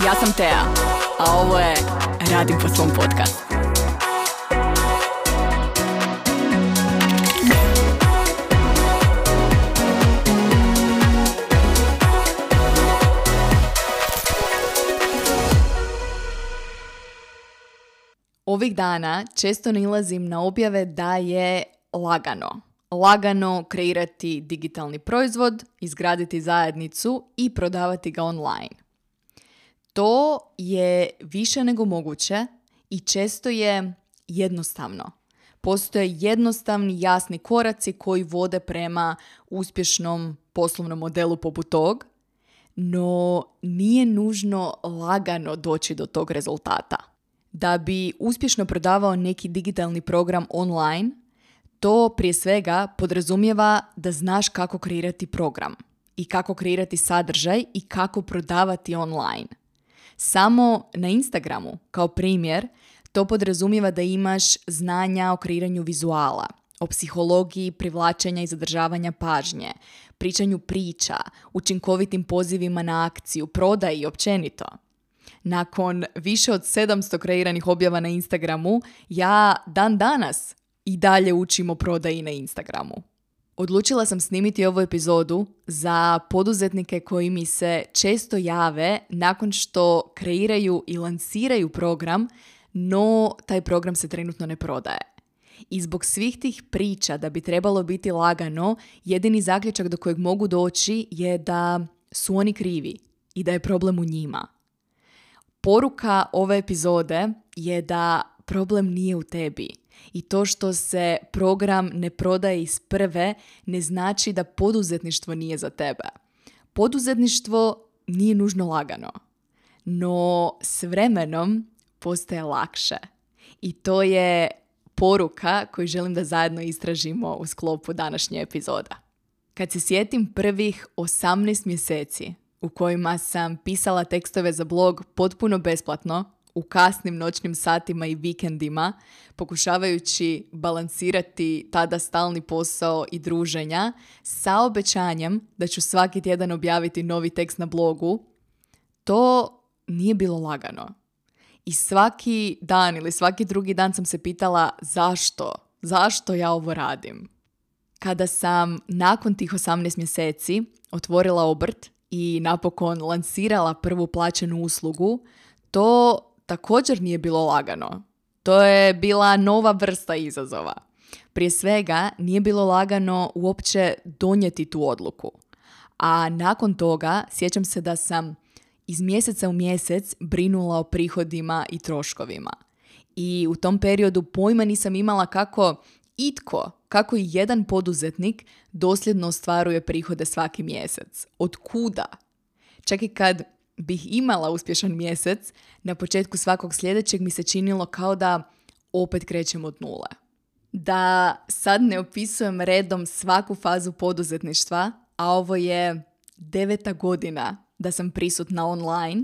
Ja sam Tea, a ovo je Radim po svom podcastu. Ovih dana često nailazim na objave da je lagano kreirati digitalni proizvod, izgraditi zajednicu i prodavati ga online. To je više nego moguće i često je jednostavno. Postoje jednostavni, jasni koraci koji vode prema uspješnom poslovnom modelu poput tog, no nije nužno lagano doći do tog rezultata. Da bi uspješno prodavao neki digitalni program online, to prije svega podrazumijeva da znaš kako kreirati program i kako kreirati sadržaj i kako prodavati online. Samo na Instagramu, kao primjer, to podrazumijeva da imaš znanja o kreiranju vizuala, o psihologiji privlačenja i zadržavanja pažnje, pričanju priča, učinkovitim pozivima na akciju, prodaji općenito. Nakon više od 700 kreiranih objava na Instagramu, ja dan danas i dalje učim o prodaji na Instagramu. Odlučila sam snimiti ovu epizodu za poduzetnike koji mi se često jave nakon što kreiraju i lansiraju program, no taj program se trenutno ne prodaje. I zbog svih tih priča da bi trebalo biti lagano, jedini zaključak do kojeg mogu doći je da su oni krivi i da je problem u njima. Poruka ove epizode je da problem nije u tebi i to što se program ne prodaje iz prve ne znači da poduzetništvo nije za tebe. Poduzetništvo nije nužno lagano, no s vremenom postaje lakše i to je poruka koju želim da zajedno istražimo u sklopu današnje epizoda. Kad se sjetim prvih 18 mjeseci u kojima sam pisala tekstove za blog potpuno besplatno, u kasnim noćnim satima i vikendima, pokušavajući balansirati tada stalni posao i druženja, sa obećanjem da ću svaki tjedan objaviti novi tekst na blogu, to nije bilo lagano. I svaki dan ili svaki drugi dan sam se pitala zašto ja ovo radim. Kada sam nakon tih 18 mjeseci otvorila obrt i napokon lansirala prvu plaćenu uslugu, to također nije bilo lagano. To je bila nova vrsta izazova. Prije svega nije bilo lagano uopće donijeti tu odluku. A nakon toga sjećam se da sam iz mjeseca u mjesec brinula o prihodima i troškovima. I u tom periodu pojma nisam imala kako i jedan poduzetnik dosljedno ostvaruje prihode svaki mjesec. Od kuda? Čak i kad bih imala uspješan mjesec, na početku svakog sljedećeg mi se činilo kao da opet krećem od nule. Da sad ne opisujem redom svaku fazu poduzetništva, a ovo je 9. godina da sam prisutna online,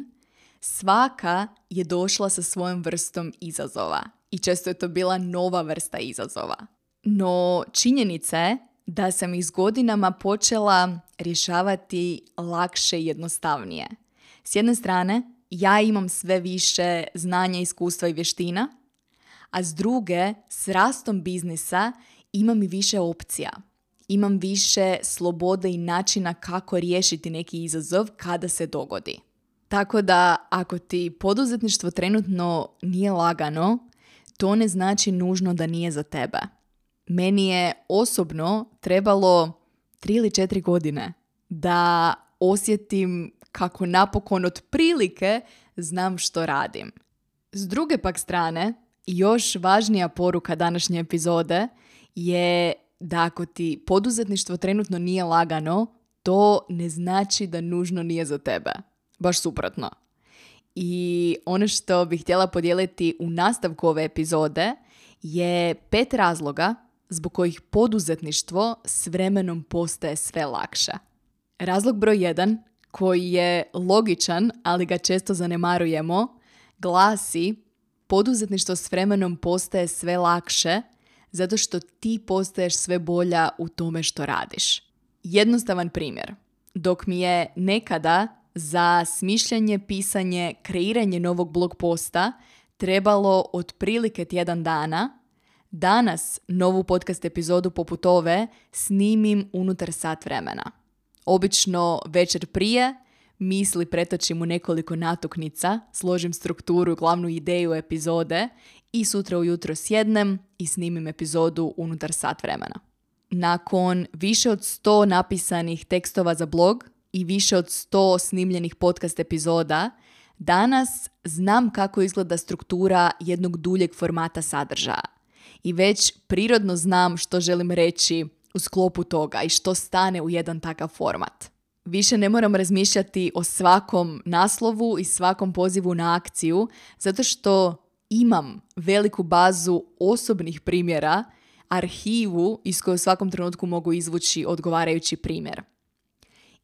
svaka je došla sa svojom vrstom izazova i često je to bila nova vrsta izazova. No činjenica je da sam ih s godinama počela rješavati lakše i jednostavnije. S jedne strane, ja imam sve više znanja, iskustva i vještina, a s druge, s rastom biznisa imam i više opcija. Imam više slobode i načina kako riješiti neki izazov kada se dogodi. Tako da, ako ti poduzetništvo trenutno nije lagano, to ne znači nužno da nije za tebe. Meni je osobno trebalo 3 ili 4 godine da osjetim kako napokon otprilike znam što radim. S druge pak strane, još važnija poruka današnje epizode je da ako ti poduzetništvo trenutno nije lagano, to ne znači da nužno nije za tebe. Baš suprotno. I ono što bih htjela podijeliti u nastavku ove epizode je 5 razloga zbog kojih poduzetništvo s vremenom postaje sve lakše. Razlog broj 1, koji je logičan, ali ga često zanemarujemo, glasi: poduzetništvo s vremenom postaje sve lakše zato što ti postaješ sve bolja u tome što radiš. Jednostavan primjer. Dok mi je nekada za smišljanje, pisanje, kreiranje novog blog posta trebalo otprilike tjedan dana, danas novu podcast epizodu poput ove snimim unutar sat vremena. Obično večer prije misli pretočim u nekoliko natuknica, složim strukturu, glavnu ideju epizode i sutra ujutro sjednem i snimim epizodu unutar sat vremena. Nakon više od 100 napisanih tekstova za blog i više od 100 snimljenih podcast epizoda, danas znam kako izgleda struktura jednog duljeg formata sadržaja. I već prirodno znam što želim reći u sklopu toga i što stane u jedan takav format. Više ne moram razmišljati o svakom naslovu i svakom pozivu na akciju, zato što imam veliku bazu osobnih primjera, arhivu iz koje u svakom trenutku mogu izvući odgovarajući primjer.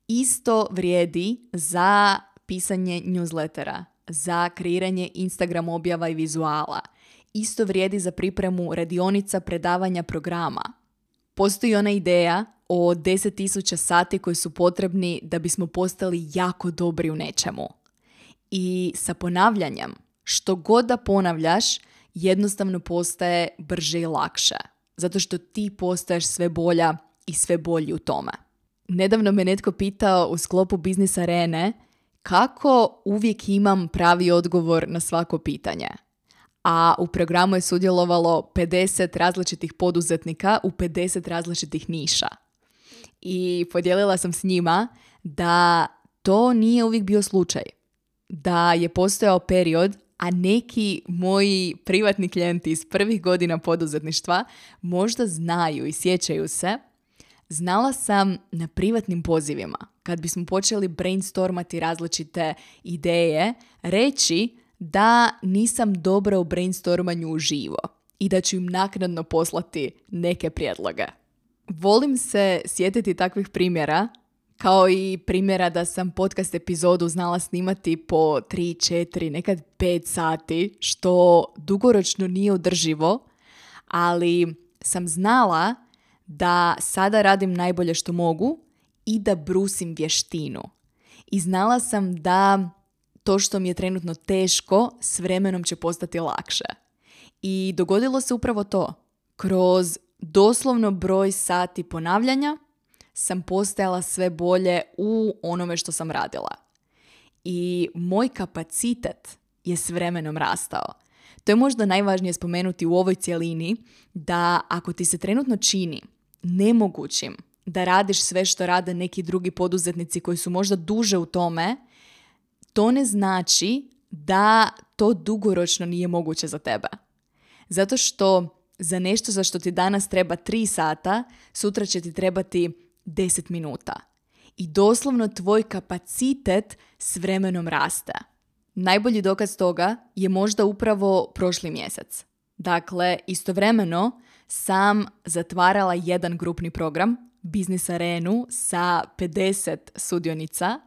Isto vrijedi za pisanje newslettera, za kreiranje Instagram objava i vizuala. Isto vrijedi za pripremu radionica, predavanja, programa. Postoji ona ideja o 10.000 sati koji su potrebni da bismo postali jako dobri u nečemu. I sa ponavljanjem, što god da ponavljaš, jednostavno postaje brže i lakše. Zato što ti postaješ sve bolja i sve bolji u tome. Nedavno me netko pitao u sklopu Biznis Arene kako uvijek imam pravi odgovor na svako pitanje. A u programu je sudjelovalo 50 različitih poduzetnika u 50 različitih niša. I podijelila sam s njima da to nije uvijek bio slučaj. Da je postojao period, a neki moji privatni klijenti iz prvih godina poduzetništva možda znaju i sjećaju se. Znala sam na privatnim pozivima, kad bismo počeli brainstormati različite ideje, reći da nisam dobra u brainstormanju uživo i da ću im naknadno poslati neke prijedloge. Volim se sjetiti takvih primjera, kao i primjera da sam podcast epizodu znala snimati po 3, 4, nekad 5 sati, što dugoročno nije održivo, ali sam znala da sada radim najbolje što mogu i da brusim vještinu. I znala sam da to što mi je trenutno teško, s vremenom će postati lakše. I dogodilo se upravo to. Kroz doslovno broj sati ponavljanja sam postajala sve bolje u onome što sam radila. I moj kapacitet je s vremenom rastao. To je možda najvažnije spomenuti u ovoj cjelini, da ako ti se trenutno čini nemogućim da radiš sve što rade neki drugi poduzetnici koji su možda duže u tome, to ne znači da to dugoročno nije moguće za tebe. Zato što za nešto za što ti danas treba 3 sata, sutra će ti trebati 10 minuta. I doslovno tvoj kapacitet s vremenom raste. Najbolji dokaz toga je možda upravo prošli mjesec. Dakle, istovremeno sam zatvarala jedan grupni program, Biznis Arenu, sa 50 sudionica.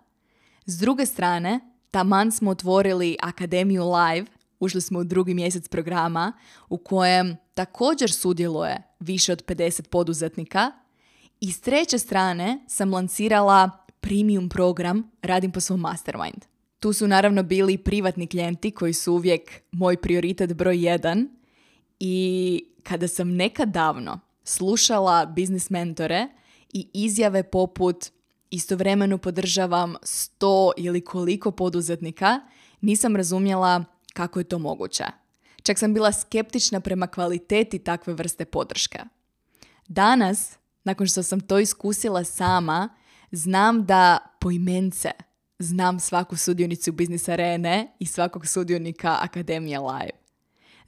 S druge strane, taman smo otvorili Akademiju Live, ušli smo u 2. mjesec programa u kojem također sudjeluje više od 50 poduzetnika. I s treće strane sam lancirala premium program Radim po svom mastermind. Tu su naravno bili privatni klijenti koji su uvijek moj prioritet broj 1. I kada sam nekad davno slušala biznis mentore i izjave poput istovremeno podržavam 100 ili koliko poduzetnika, nisam razumjela kako je to moguće. Čak sam bila skeptična prema kvaliteti takve vrste podrške. Danas, nakon što sam to iskusila sama, znam da poimence znam svaku sudionicu Biznis Arene i svakog sudionika Akademije Live.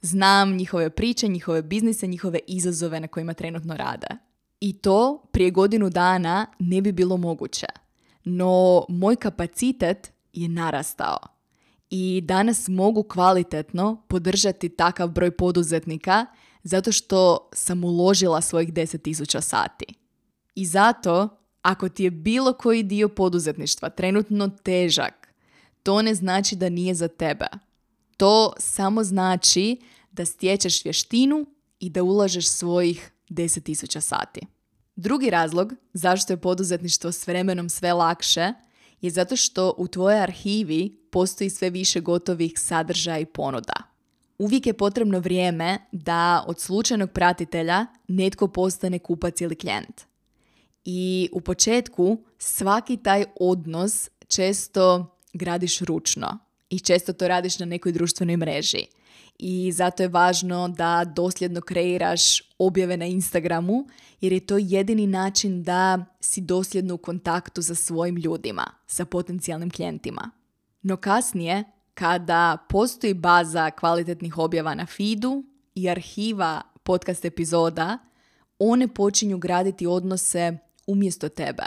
Znam njihove priče, njihove biznise, njihove izazove na kojima trenutno rade. I to prije godinu dana ne bi bilo moguće. No, moj kapacitet je narastao. I danas mogu kvalitetno podržati takav broj poduzetnika zato što sam uložila svojih 10.000 sati. I zato, ako ti je bilo koji dio poduzetništva trenutno težak, to ne znači da nije za tebe. To samo znači da stječeš vještinu i da ulažeš svojih 10.000 sati. Drugi razlog zašto je poduzetništvo s vremenom sve lakše je zato što u tvojoj arhivi postoji sve više gotovih sadržaja i ponuda. Uvijek je potrebno vrijeme da od slučajnog pratitelja netko postane kupac ili klijent. I u početku svaki taj odnos često gradiš ručno i često to radiš na nekoj društvenoj mreži. I zato je važno da dosljedno kreiraš objave na Instagramu, jer je to jedini način da si dosljedno u kontaktu sa svojim ljudima, sa potencijalnim klijentima. No kasnije, kada postoji baza kvalitetnih objava na feedu i arhiva podcast epizoda, one počinju graditi odnose umjesto tebe.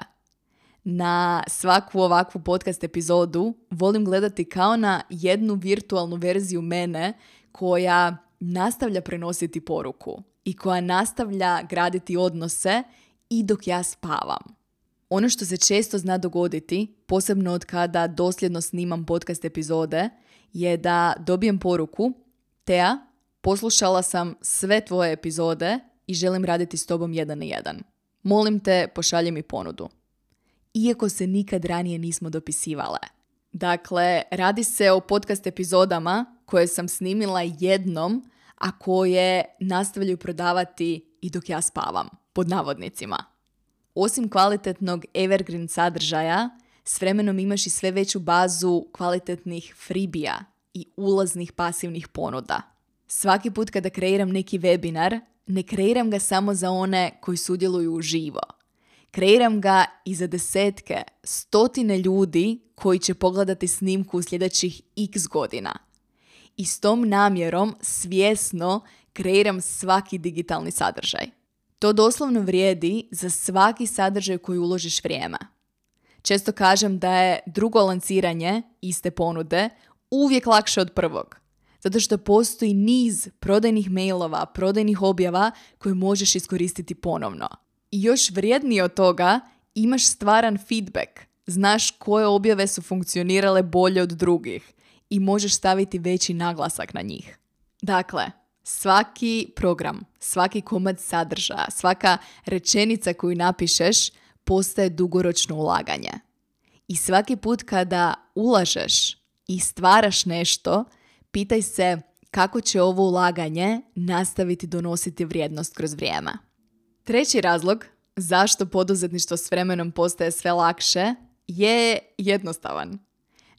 Na svaku ovakvu podcast epizodu volim gledati kao na jednu virtualnu verziju mene koja nastavlja prenositi poruku i koja nastavlja graditi odnose i dok ja spavam. Ono što se često zna dogoditi, posebno od kada dosljedno snimam podcast epizode, je da dobijem poruku: Tea, poslušala sam sve tvoje epizode i želim raditi s tobom 1 na 1. Molim te, pošalji mi ponudu. Iako se nikad ranije nismo dopisivale. Dakle, radi se o podcast epizodama koje sam snimila jednom, a koje nastavljaju prodavati i dok ja spavam, pod navodnicima. Osim kvalitetnog evergreen sadržaja, s vremenom imaš i sve veću bazu kvalitetnih freebija i ulaznih pasivnih ponuda. Svaki put kada kreiram neki webinar, ne kreiram ga samo za one koji sudjeluju uživo. Kreiram ga i za desetke, stotine ljudi koji će pogledati snimku u sljedećih x godina. I s tom namjerom svjesno kreiram svaki digitalni sadržaj. To doslovno vrijedi za svaki sadržaj koji uložiš vrijeme. Često kažem da je drugo lanciranje iste ponude uvijek lakše od prvog. Zato što postoji niz prodajnih mailova, prodajnih objava koje možeš iskoristiti ponovno. I još vrijednije od toga, imaš stvaran feedback. Znaš koje objave su funkcionirale bolje od drugih i možeš staviti veći naglasak na njih. Dakle, svaki program, svaki komad sadržaja, svaka rečenica koju napišeš postaje dugoročno ulaganje. I svaki put kada ulažeš i stvaraš nešto, pitaj se kako će ovo ulaganje nastaviti donositi vrijednost kroz vrijeme. Treći razlog zašto poduzetništvo s vremenom postaje sve lakše je jednostavan.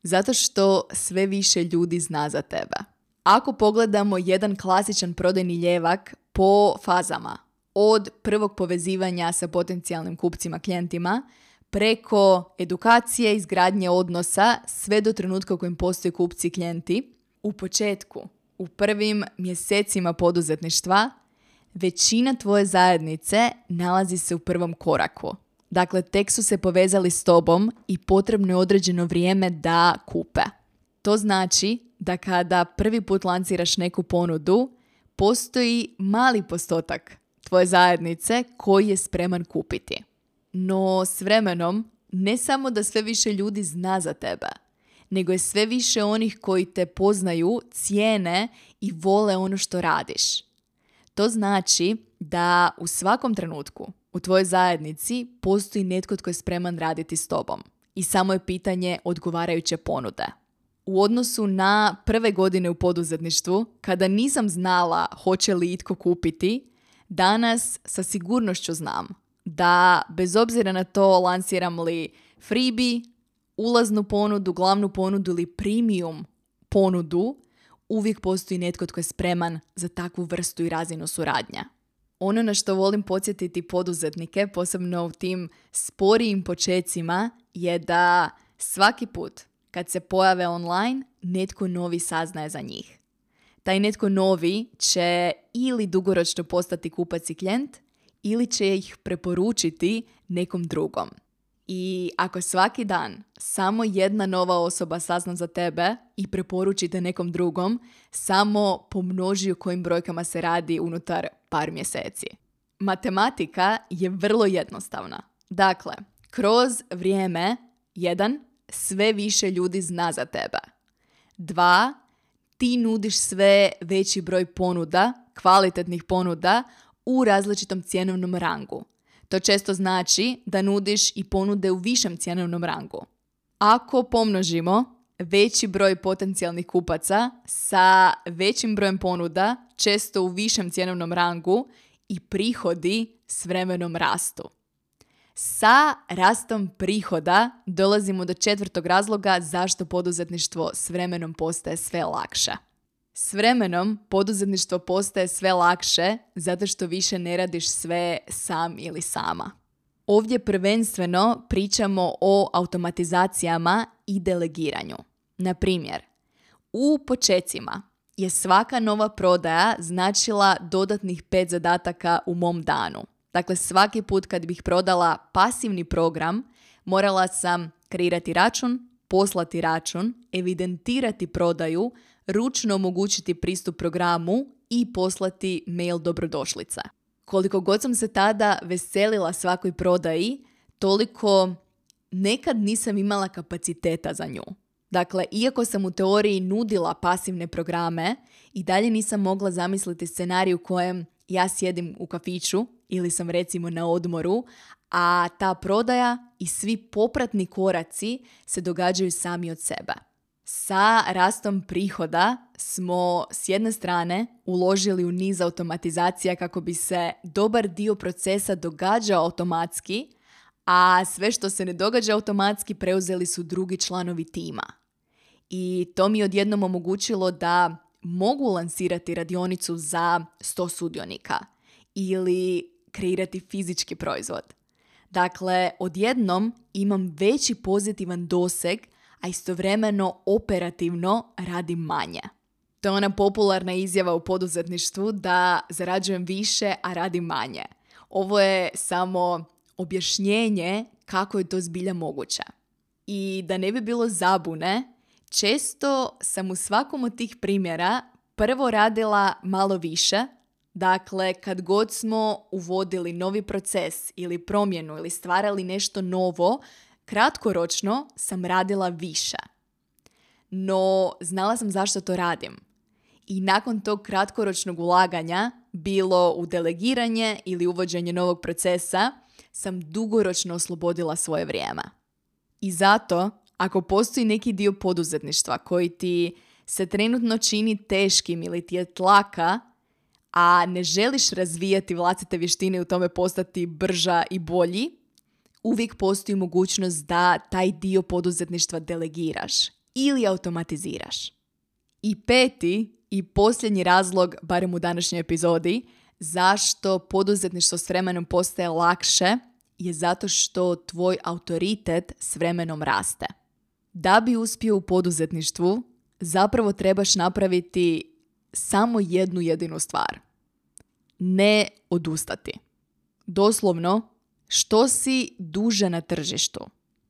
Zato što sve više ljudi zna za tebe. Ako pogledamo jedan klasičan prodajni ljevak po fazama, od prvog povezivanja sa potencijalnim kupcima, klijentima, preko edukacije, izgradnje odnosa, sve do trenutka u kojem postoje kupci i klijenti, u početku, u prvim mjesecima poduzetništva, većina tvoje zajednice nalazi se u prvom koraku. Dakle, tek su se povezali s tobom i potrebno je određeno vrijeme da kupe. To znači da kada prvi put lanciraš neku ponudu, postoji mali postotak tvoje zajednice koji je spreman kupiti. No s vremenom, ne samo da sve više ljudi zna za tebe, nego je sve više onih koji te poznaju, cijene i vole ono što radiš. To znači da u svakom trenutku u tvojoj zajednici postoji netko tko je spreman raditi s tobom i samo je pitanje odgovarajuće ponude. U odnosu na prve godine u poduzetništvu, kada nisam znala hoće li itko kupiti, danas sa sigurnošću znam da bez obzira na to lansiram li freebie, ulaznu ponudu, glavnu ponudu ili premium ponudu, uvijek postoji netko tko je spreman za takvu vrstu i razinu suradnja. Ono na što volim podsjetiti poduzetnike, posebno u tim sporijim počecima, je da svaki put kad se pojave online, netko novi saznaje za njih. Taj netko novi će ili dugoročno postati kupac i klijent, ili će ih preporučiti nekom drugom. I ako svaki dan samo jedna nova osoba sazna za tebe i preporučite nekom drugom, samo pomnoži o kojim brojkama se radi unutar par mjeseci. Matematika je vrlo jednostavna. Dakle, kroz vrijeme 1. sve više ljudi zna za tebe. 2. ti nudiš sve veći broj ponuda, kvalitetnih ponuda u različitom cjenovnom rangu. To često znači da nudiš i ponude u višem cjenovnom rangu. Ako pomnožimo veći broj potencijalnih kupaca sa većim brojem ponuda, često u višem cjenovnom rangu, i prihodi s vremenom rastu. Sa rastom prihoda dolazimo do 4. razloga zašto poduzetništvo s vremenom postaje sve lakše. S vremenom poduzetništvo postaje sve lakše zato što više ne radiš sve sam ili sama. Ovdje prvenstveno pričamo o automatizacijama i delegiranju. Na primjer, u počecima je svaka nova prodaja značila dodatnih 5 zadataka u mom danu. Dakle, svaki put kad bih prodala pasivni program, morala sam kreirati račun, poslati račun, evidentirati prodaju, ručno omogućiti pristup programu i poslati mail dobrodošlice. Koliko god sam se tada veselila svakoj prodaji, toliko nekad nisam imala kapaciteta za nju. Dakle, iako sam u teoriji nudila pasivne programe, i dalje nisam mogla zamisliti scenarij u kojem ja sjedim u kafiću ili sam recimo na odmoru, a ta prodaja i svi popratni koraci se događaju sami od sebe. Sa rastom prihoda smo s jedne strane uložili u niz automatizacija kako bi se dobar dio procesa događao automatski, a sve što se ne događa automatski preuzeli su drugi članovi tima. I to mi je odjednom omogućilo da mogu lansirati radionicu za 100 sudionika ili kreirati fizički proizvod. Dakle, odjednom imam veći pozitivan doseg, a istovremeno operativno radim manje. To je ona popularna izjava u poduzetništvu da zarađujem više, a radim manje. Ovo je samo objašnjenje kako je to zbilja moguće. I da ne bi bilo zabune, često sam u svakom od tih primjera prvo radila malo više. Dakle, kad god smo uvodili novi proces ili promjenu ili stvarali nešto novo, kratkoročno sam radila više. No, znala sam zašto to radim. I nakon tog kratkoročnog ulaganja, bilo u delegiranje ili uvođenje novog procesa, sam dugoročno oslobodila svoje vrijeme. I zato, ako postoji neki dio poduzetništva koji ti se trenutno čini teškim ili ti je tlaka, a ne želiš razvijati vlastite vještine i u tome postati brža i bolji, uvijek postoji mogućnost da taj dio poduzetništva delegiraš ili automatiziraš. I 5. i posljednji razlog, barem u današnjoj epizodi, zašto poduzetništvo s vremenom postaje lakše, je zato što tvoj autoritet s vremenom raste. Da bi uspio u poduzetništvu, zapravo trebaš napraviti samo jednu jedinu stvar. Ne odustati. Doslovno, što si duže na tržištu,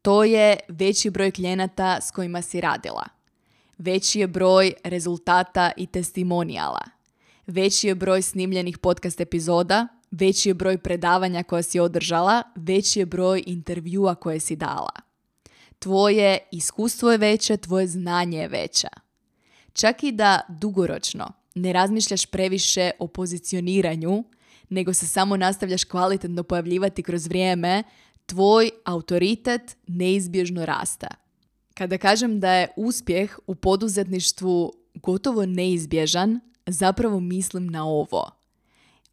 to je veći broj klijenata s kojima si radila. Veći je broj rezultata i testimonijala. Veći je broj snimljenih podcast epizoda, veći je broj predavanja koja si održala, veći je broj intervjua koje si dala. Tvoje iskustvo je veće, tvoje znanje je veće. Čak i da dugoročno ne razmišljaš previše o pozicioniranju, nego se samo nastavljaš kvalitetno pojavljivati kroz vrijeme, tvoj autoritet neizbježno raste. Kada kažem da je uspjeh u poduzetništvu gotovo neizbježan, zapravo mislim na ovo.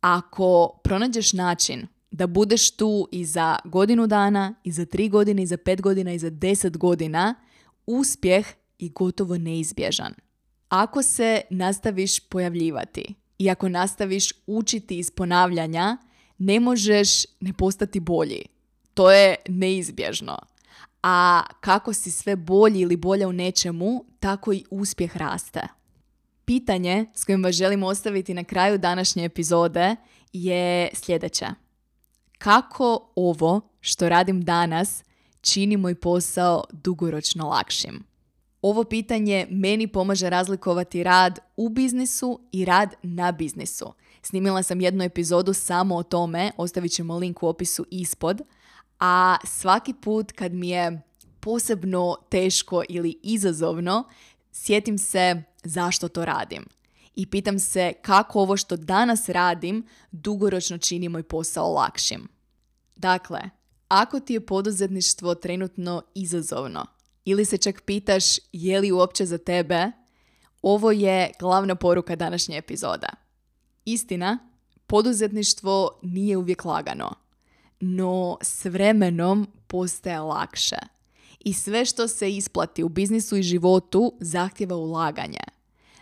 Ako pronađeš način da budeš tu i za godinu dana, i za 3 godine, i za 5 godina, i za 10 godina, uspjeh je gotovo neizbježan. Ako se nastaviš pojavljivati i ako nastaviš učiti iz ponavljanja, ne možeš ne postati bolji. To je neizbježno. A kako si sve bolji ili bolja u nečemu, tako i uspjeh raste. Pitanje s kojim vas želim ostaviti na kraju današnje epizode je sljedeće. Kako ovo što radim danas čini moj posao dugoročno lakšim? Ovo pitanje meni pomaže razlikovati rad u biznisu i rad na biznisu. Snimila sam jednu epizodu samo o tome, ostavit ćemo link u opisu ispod, a svaki put kad mi je posebno teško ili izazovno, sjetim se zašto to radim. I pitam se kako ovo što danas radim dugoročno čini moj posao lakšim. Dakle, ako ti je poduzetništvo trenutno izazovno ili se čak pitaš je li uopće za tebe, ovo je glavna poruka današnje epizoda. Istina, poduzetništvo nije uvijek lagano, no s vremenom postaje lakše. I sve što se isplati u biznisu i životu zahtjeva ulaganje.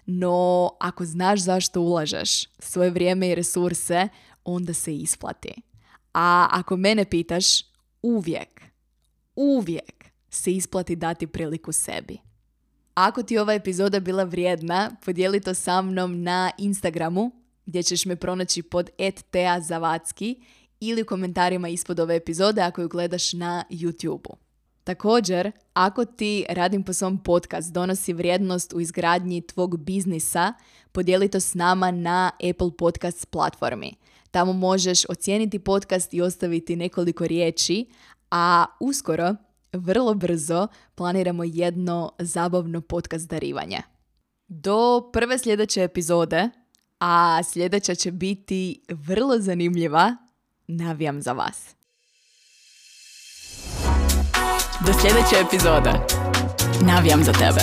No, ako znaš zašto ulažeš svoje vrijeme i resurse, onda se isplati. A ako mene pitaš, uvijek se isplati dati priliku sebi. Ako ti ova epizoda bila vrijedna, podijeli to sa mnom na Instagramu, gdje ćeš me pronaći pod @teazavatski ili u komentarima ispod ove epizode ako ju gledaš na YouTube-u. Također, ako ti Radim po svom podcast donosi vrijednost u izgradnji tvog biznisa, podijeli to s nama na Apple Podcast platformi. Tamo možeš ocijeniti podcast i ostaviti nekoliko riječi, a uskoro, vrlo brzo, planiramo jedno zabavno podcast darivanje. Do prve sljedeće epizode, a sljedeća će biti vrlo zanimljiva, navijam za vas. Do sljedeće epizode. Navijam za tebe.